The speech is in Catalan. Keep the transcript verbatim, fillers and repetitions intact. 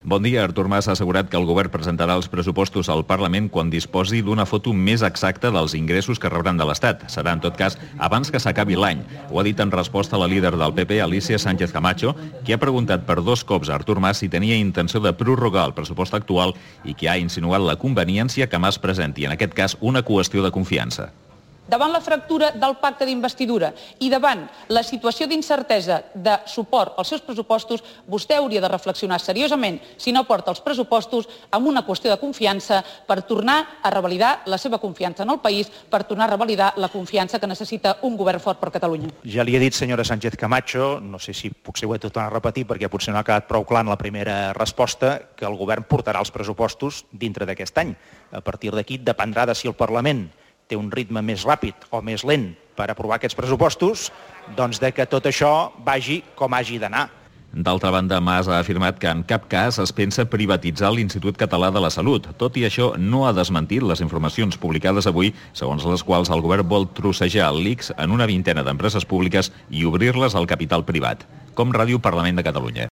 Bon dia. Artur Mas ha assegurat que el govern presentarà els pressupostos al Parlament quan disposi d'una foto més exacta dels ingressos que rebran de l'Estat. Serà, en tot cas, abans que s'acabi l'any. Ho ha dit en resposta a la líder del P P, Alicia Sánchez Camacho, qui ha preguntat per dos cops a Artur Mas si tenia intenció de prorrogar el pressupost actual i qui ha insinuat la conveniència que Mas presenti, en aquest cas, una qüestió de confiança. Davant la fractura del pacte d'investidura i davant la situació d'incertesa de suport als seus pressupostos, vostè hauria de reflexionar seriosament si no porta els pressupostos amb una qüestió de confiança per tornar a revalidar la seva confiança en el país, per tornar a revalidar la confiança que necessita un govern fort per Catalunya. Ja li he dit, senyora Sánchez Camacho, no sé si potser ho he de tornar a repetir perquè potser no ha quedat prou clar en la primera resposta, que el govern portarà els pressupostos dintre d'aquest any. A partir d'aquí dependrà de si el Parlament té un ritme més ràpid o més lent per aprovar aquests pressupostos, doncs de que tot això vagi com hagi d'anar. D'altra banda, Mas ha afirmat que en cap cas es pensa privatitzar l'Institut Català de la Salut. Tot i això, no ha desmentit les informacions publicades avui, segons les quals el govern vol trossejar l'I C S en una vintena d'empreses públiques i obrir-les al capital privat. Com Ràdio Parlament de Catalunya.